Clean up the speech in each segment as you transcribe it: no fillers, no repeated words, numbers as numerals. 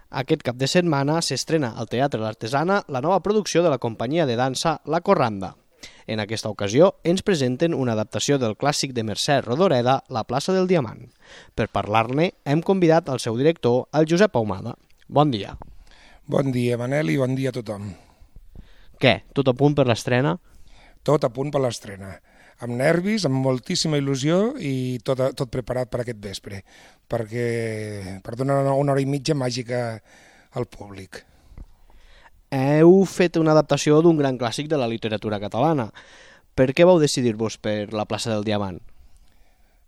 Aquest cap de setmana s'estrena al Teatre L'Artesana la nova producció de la companyia de dansa La Corranda. En aquesta ocasió ens presenten una adaptació del clàssic de Mercè Rodoreda, La plaça del Diamant. Per parlar-ne hem convidat el seu director, el Josep Ahumada. Bon dia. Bon dia, Manel, i bon dia a tothom. Què, tot a punt per l'estrena? Tot a punt per l'estrena. Amb nervis, amb moltíssima il·lusió i tot preparat per aquest vespre, per donar una hora i mitja màgica al públic. Heu fet una adaptació d'un gran clàssic de la literatura catalana. Per què vau decidir-vos per La plaça del Diamant?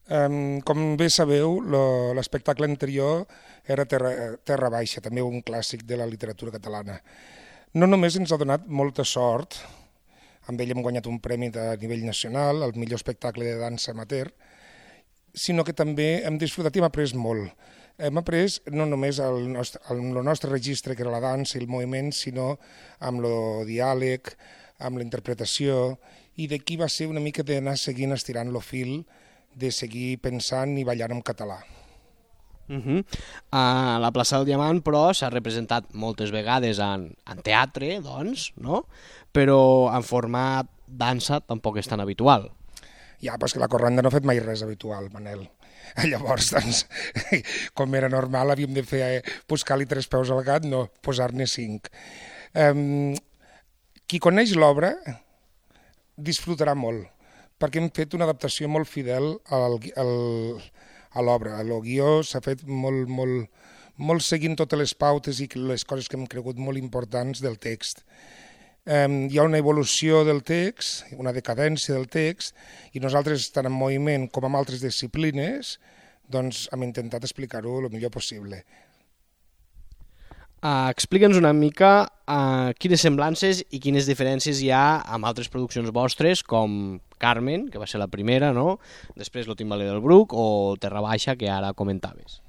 Com bé sabeu, l'espectacle anterior era Terra Baixa, també un clàssic de la literatura catalana. No només ens ha donat molta sort, amb ell hem guanyat un premi a nivell nacional, el millor espectacle de dansa amateur, sinó que també hem disfrutat i hem après molt. Hem après no només el nostre registre, que era la dansa i el moviment, sinó amb el diàleg, amb la interpretació, i d'aquí va ser una mica d'anar seguint, estirant el fil, de seguir pensant i ballant en català. A la plaça del Diamant, però, s'ha representat moltes vegades en teatre, doncs, no? Però en format dansa tampoc és tan habitual. Ja, però és que la Corranda no ha fet mai res habitual, Manel. Llavors, doncs, com era normal, havíem de fer buscar-li 3 peus al gat, no posar-ne 5. Qui coneix l'obra disfrutarà molt, perquè hem fet una adaptació molt fidel a l'obra. El guió s'ha fet molt seguint totes les pautes i les coses que hem cregut molt importants del text. Hi ha una evolució del text, una decadència del text, i nosaltres, tant en moviment com en altres disciplines, doncs hem intentat explicar-ho el millor possible. Explica'ns una mica quines semblances i quines diferències hi ha amb altres produccions vostres, com Carmen, que va ser la primera, no? Després Lo timbaler del Bruc, o Terra Baixa, que ara comentaves.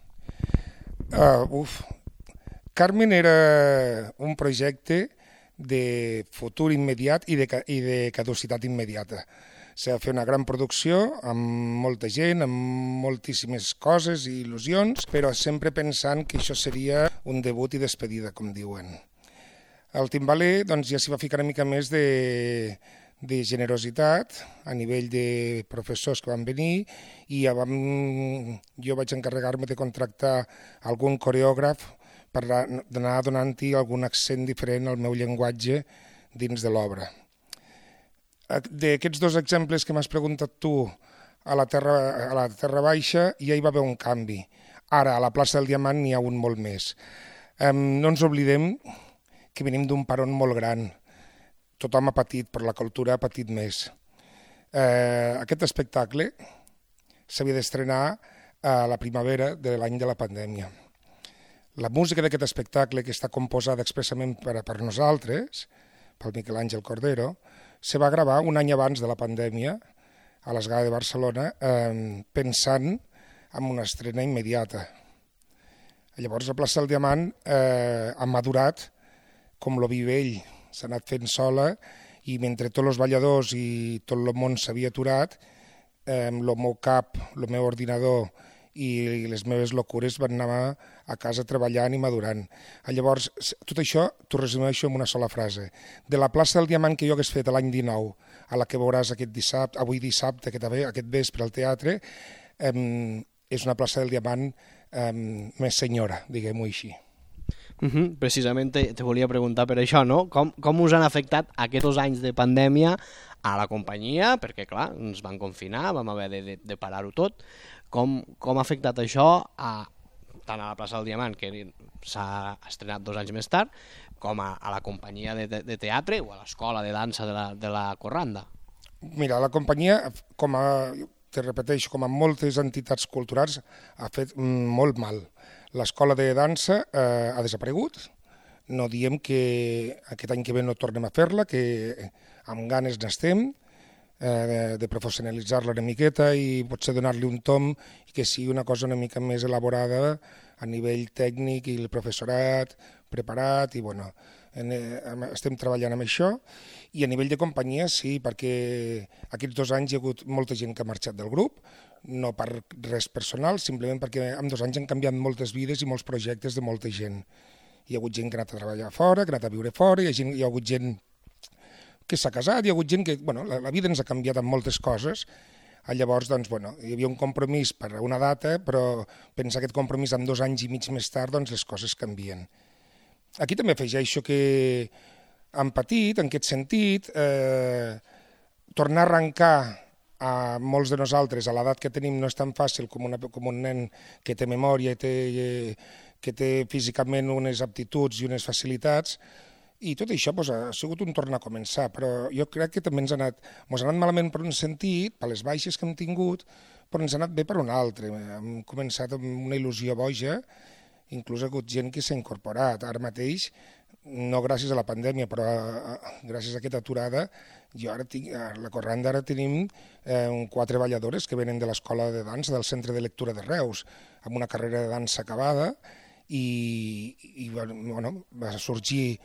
Carmen era un projecte de futur immediat i de caducitat immediata. S'ha de fer una gran producció amb molta gent, amb moltíssimes coses i il·lusions, però sempre pensant que això seria un debut i despedida, com diuen. El timbaler doncs, ja s'hi va ficar una mica més de generositat a nivell de professors que van venir i jo vaig encarregar-me de contractar algun coreògraf per anar donant-hi algun accent diferent al meu llenguatge dins de l'obra. D'aquests 2 exemples que m'has preguntat tu, a la Terra Baixa ja hi va haver un canvi. Ara, a la plaça del Diamant n'hi ha un molt més. No ens oblidem que venim d'un paron molt gran. Tothom ha patit, però la cultura ha patit més. Aquest espectacle s'havia d'estrenar a la primavera de l'any de la pandèmia. La música d'aquest espectacle, que està composada expressament per nosaltres, pel Miquel Àngel Cordero, se va gravar un any abans de la pandèmia a l'Esgala de Barcelona, pensant en una estrena immediata. Llavors, la plaça del Diamant ha madurat com lo viu ell. S'ha anat fent sola i mentre tots els balladors i tot el món s'havia aturat, el meu cap, el meu ordinador i les meves locures van anar a casa treballant i madurant. Llavors, tot això t'ho resumeixo en una sola frase. De la plaça del Diamant que jo hagués fet l'any 19, a la que veuràs avui dissabte, aquest vespre al teatre, és una plaça del Diamant més senyora, diguem-ho així. Precisament te volia preguntar per això, no? Com us han afectat aquests 2 anys de pandèmia a la companyia? Perquè, clar, ens van confinar, vam haver de parar-ho tot. Com ha afectat això tant a la plaça del Diamant, que s'ha estrenat 2 anys més tard, com a la companyia de teatre o a l'escola de dansa de la Corranda? Mira, la companyia, te repeteixo, com a moltes entitats culturals, ha fet molt mal. L'escola de dansa ha desaparegut. No diem que aquest any que ve no tornem a fer-la, que amb ganes n'estem, de professionalitzar-la una miqueta i potser donar-li un tom i que sigui una cosa una mica més elaborada a nivell tècnic i el professorat preparat i bueno, estem treballant amb això i a nivell de companyia sí, perquè aquests 2 anys hi ha hagut molta gent que ha marxat del grup, no per res personal, simplement perquè en 2 anys han canviat moltes vides i molts projectes de molta gent Hi ha hagut gent que ha anat a treballar fora, que ha anat a viure fora, hi ha hagut gent que s'ha casat, hi ha hagut gent que... Bueno, la vida ens ha canviat en moltes coses. Llavors, doncs, bueno, hi havia un compromís per a una data, però pensar aquest compromís en 2 anys i mig més tard, doncs les coses canvien. Aquí també afegeixo que hem patit, en aquest sentit, tornar a arrencar a molts de nosaltres, a l'edat que tenim, no és tan fàcil com un nen que té memòria, que té físicament unes aptituds i unes facilitats, i tot això doncs, ha sigut un torn a començar, però jo crec que també ens ha anat malament per un sentit, per les baixes que hem tingut, però ens ha anat bé per un altre. Hem començat amb una il·lusió boja, inclús ha hagut gent que s'ha incorporat. Ara mateix, no gràcies a la pandèmia, però gràcies a aquesta aturada, jo ara a la Corranda ara tenim 4 balladores que venen de l'escola de dansa del Centre de Lectura de Reus, amb una carrera de dansa acabada, i bueno, va sorgir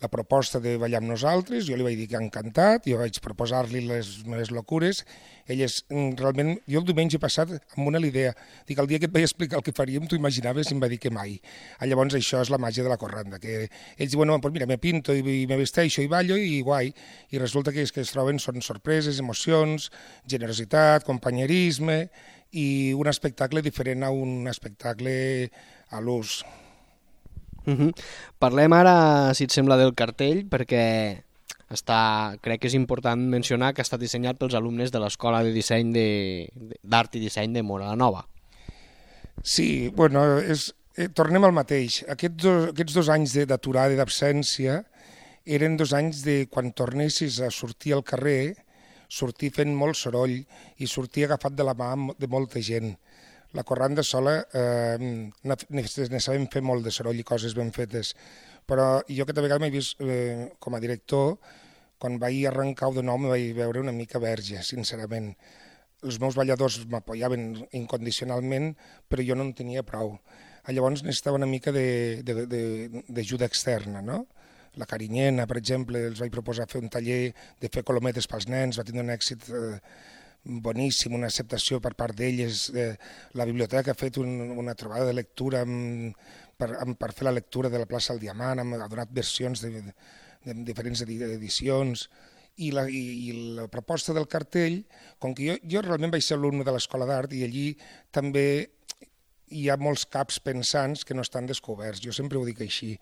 la proposta de ballar amb nosaltres, jo li vaig dir que encantat, jo vaig proposar-li les meves locures, elles realment, jo el diumenge passat amb una idea, dic, el dia que et vaig explicar el que faríem, tu imaginaves, i em va dir que mai. Llavors això és la màgia de la Corranda, que ells diuen, bueno, pues mira, me pinto i me vesteixo i ballo i guai, i resulta que els que es troben són sorpreses, emocions, generositat, companyerisme i un espectacle diferent a un espectacle a l'ús. Parlem ara, si et sembla, del cartell, perquè crec que és important mencionar que està dissenyat pels alumnes de l'Escola de Disseny d'Art i Disseny de Móra la Nova. Sí, bueno, tornem al mateix. Aquests 2 anys d'aturada i d'absència eren 2 anys de quan tornessis a sortir al carrer, sortir fent molt soroll i sortir agafat de la mà de molta gent. La Corranda sola ne sabem fer molt de soroll i coses ben fetes, però jo aquesta vegada m'he vist com a director, quan vaig arrencar de nou me vaig veure una mica verge, sincerament. Els meus balladors m'apoyaven incondicionalment, però jo no en tenia prou. Llavors necessitava una mica d'ajuda externa, no? La Carinyena, per exemple, els vaig proposar fer un taller de fer colometes pels nens, va tenir un èxit boníssim, una acceptació per part d'elles. La biblioteca ha fet una trobada de lectura per fer la lectura de la plaça del Diamant, ha donat versions de diferents edicions, i la proposta del cartell, com que jo realment vaig ser alumne de l'Escola d'Art i allí també hi ha molts caps pensants que no estan descoberts, jo sempre ho dic així.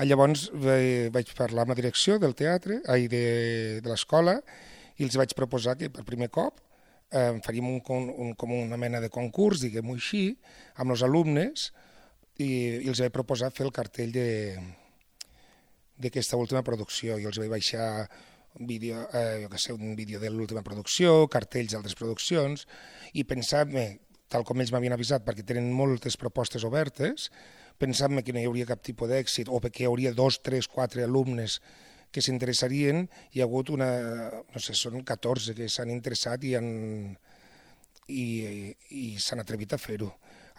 Llavors vaig parlar amb la direcció del teatre, de l'escola, i els vaig proposar que per primer cop faríem com una mena de concurs, diguem-ho així, amb els alumnes, i els vaig proposar fer el cartell d'aquesta última producció. Jo els vaig baixar un vídeo de l'última producció, cartells d'altres produccions, i pensar-me, tal com ells m'havien avisat, perquè tenen moltes propostes obertes, pensant-me que no hi hauria cap tipus d'èxit, o que hi hauria 2, 3, 4 alumnes que s'interessarien, hi ha hagut són 14 que s'han interessat i s'han atrevit a fer-ho.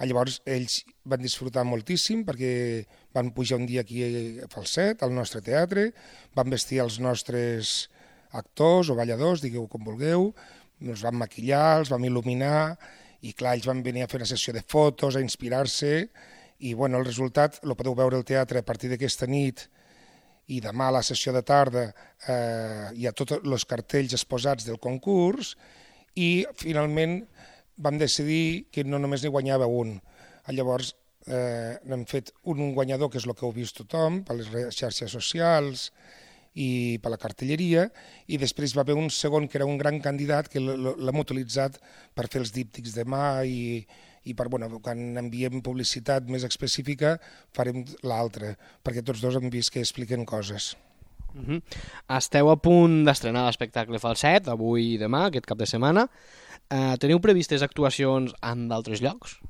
Llavors ells van disfrutar moltíssim perquè van pujar un dia aquí a Falset, al nostre teatre, van vestir els nostres actors o balladors, digueu com vulgueu, ens van maquillar, els vam il·luminar, i clar, ells van venir a fer una sessió de fotos, a inspirar-se, i bueno, el resultat el podeu veure al teatre a partir d'aquesta nit, i demà a la sessió de tarda hi ha tots els cartells exposats del concurs, i finalment vam decidir que no només n'hi guanyava un. Llavors n'hem fet un guanyador, que és el que heu vist tothom, per les xarxes socials i per la cartelleria, i després va haver un segon que era un gran candidat que l'hem utilitzat per fer els díptics demà i quan enviem publicitat més específica farem l'altre, perquè tots dos hem vist que expliquen coses. Esteu a punt d'estrenar l'espectacle Falset, avui i demà, aquest cap de setmana. Teniu previstes actuacions en d'altres llocs?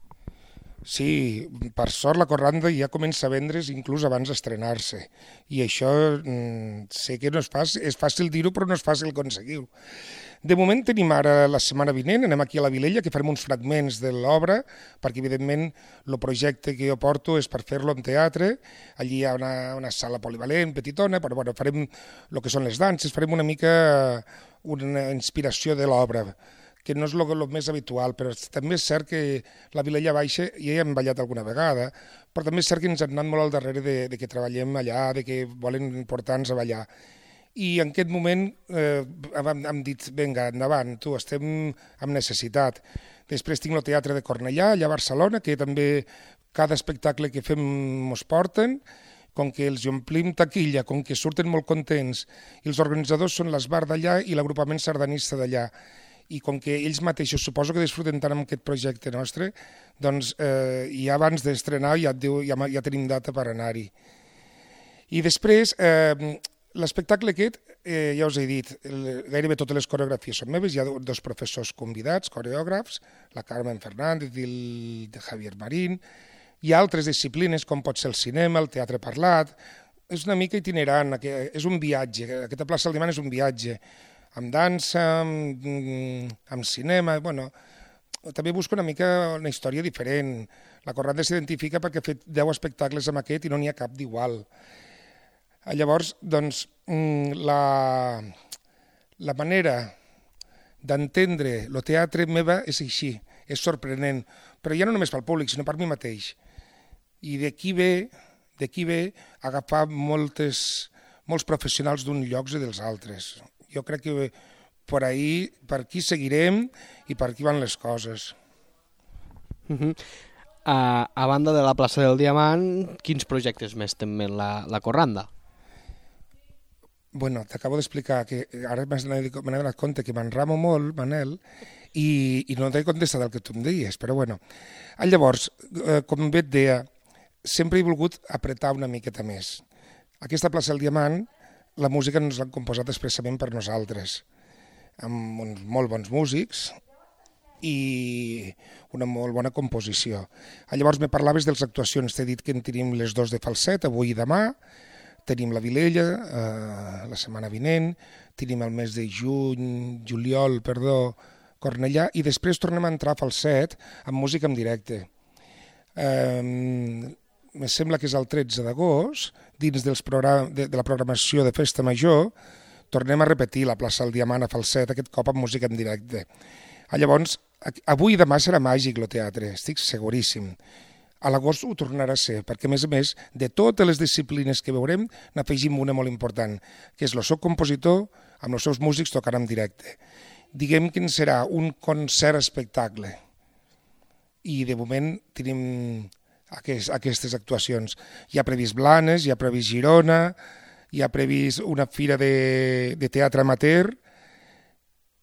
Sí, per sort la Corranda ja comença a vendre's inclús abans d'estrenar-se, i això sé que no és fàcil, és fàcil dir-ho però no és fàcil aconseguir-ho. De moment tenim ara la setmana vinent, anem aquí a la Vilella, que farem uns fragments de l'obra, perquè evidentment el projecte que jo porto és per fer-lo en teatre, allí hi ha una sala polivalent, petitona, però farem el que són les danses, farem una mica una inspiració de l'obra, que no és el més habitual, però també és cert que la Vilella Baixa ja hi hem ballat alguna vegada, però també és cert que ens han anat molt al darrere de que treballem allà, de que volen portar-nos a ballar. I en aquest moment hem dit, vinga, endavant, tu, estem amb necessitat. Després tinc el Teatre de Cornellà, allà a Barcelona, que també cada espectacle que fem mos porten, com que els omplim taquilla, com que surten molt contents, i els organitzadors són l'Esbar d'allà i l'agrupament sardanista d'allà, i com que ells mateixos suposo que disfruten tant amb aquest projecte nostre, doncs ja abans d'estrenar ja tenim data per anar-hi. I després, l'espectacle aquest, ja us he dit, gairebé totes les coreografies són meves, hi ha dos professors convidats, coreògrafs, la Carmen Fernández i el Javier Marín. Hi ha altres disciplines, com pot ser el cinema, el teatre parlat. És una mica itinerant, és un viatge. Aquesta plaça del Diamant és un viatge, amb dansa, amb cinema. Bueno, també busco una mica una història diferent. La Corranda s'identifica perquè ha fet 10 espectacles amb aquest i no n'hi ha cap d'igual. Llavors, doncs, la manera d'entendre el teatre meva és així, és sorprenent, però ja no només pel públic, sinó per mi mateix. I d'aquí ve agafar molts professionals d'un lloc i dels altres. Jo crec que per aquí seguirem i per aquí van les coses. A banda de la plaça del Diamant, quins projectes més també la Corranda? Bueno, t'acabo d'explicar que ara m'he donat compte que m'enramo molt, Manel, i no t'he contestat el que tu em deies, però bueno. Llavors, com bé et deia, sempre he volgut apretar una miqueta més. Aquesta plaça del Diamant, la música ens l'han composat expressament per nosaltres, amb uns molt bons músics i una molt bona composició. Llavors me parlaves de les actuacions, t'he dit que en tenim les 2 de falset, avui i demà, tenim la Vilella la setmana vinent, tenim el mes de juliol, Cornellà, i després tornem a entrar a falset amb música en directe. Me sembla que és el 13 d'agost, dins de la programació de Festa Major, tornem a repetir la plaça del Diamant a falset, aquest cop amb música en directe. Llavors, avui i demà serà màgic el teatre, estic seguríssim. A l'agost ho tornarà a ser, perquè a més, de totes les disciplines que veurem, n'afegim una molt important, que és el seu compositor amb els seus músics tocant en directe. Diguem que serà un concert-espectacle. I de moment tenim aquestes actuacions. Hi ha previst Blanes, hi ha previst Girona, hi ha previst una fira de teatre amateur,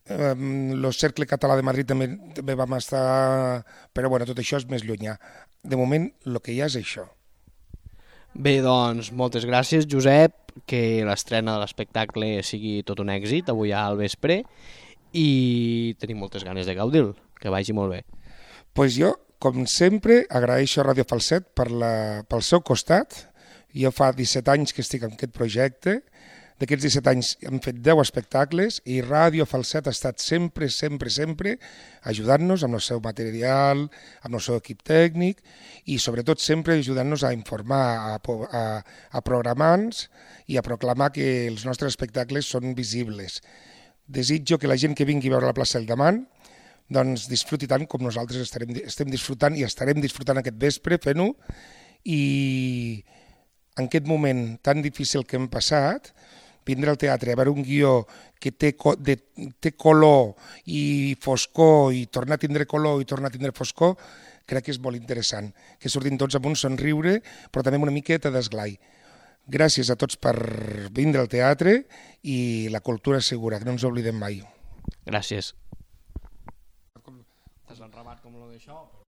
el Cercle Català de Madrid també vam estar, però bueno, tot això és més llunyà. De moment, el que hi ha és això. Bé, doncs, moltes gràcies, Josep, que l'estrena de l'espectacle sigui tot un èxit, avui al vespre, i tenim moltes ganes de gaudir-lo, que vagi molt bé. Doncs jo, com sempre, agraeixo a Ràdio Falset pel seu costat. Jo fa 17 anys que estic en aquest projecte. D'aquests 17 anys hem fet 10 espectacles i Ràdio Falset ha estat sempre ajudant-nos amb el seu material, amb el seu equip tècnic i sobretot sempre ajudant-nos a informar, a programar-nos i a proclamar que els nostres espectacles són visibles. Desitjo que la gent que vingui a veure la plaça del Diamant doncs disfruti tant com nosaltres estem disfrutant i estarem disfrutant aquest vespre fent-ho, i en aquest moment tan difícil que hem passat, vindre al teatre a veure un guió que té color i foscor i tornar a tindre color i tornar a tindre foscor, crec que és molt interessant, que surtin tots amb un somriure però també amb una miqueta d'esglai. Gràcies a tots per vindre al teatre i la cultura segura, que no ens oblidem mai. Gràcies. T'has enramat com lo d'això?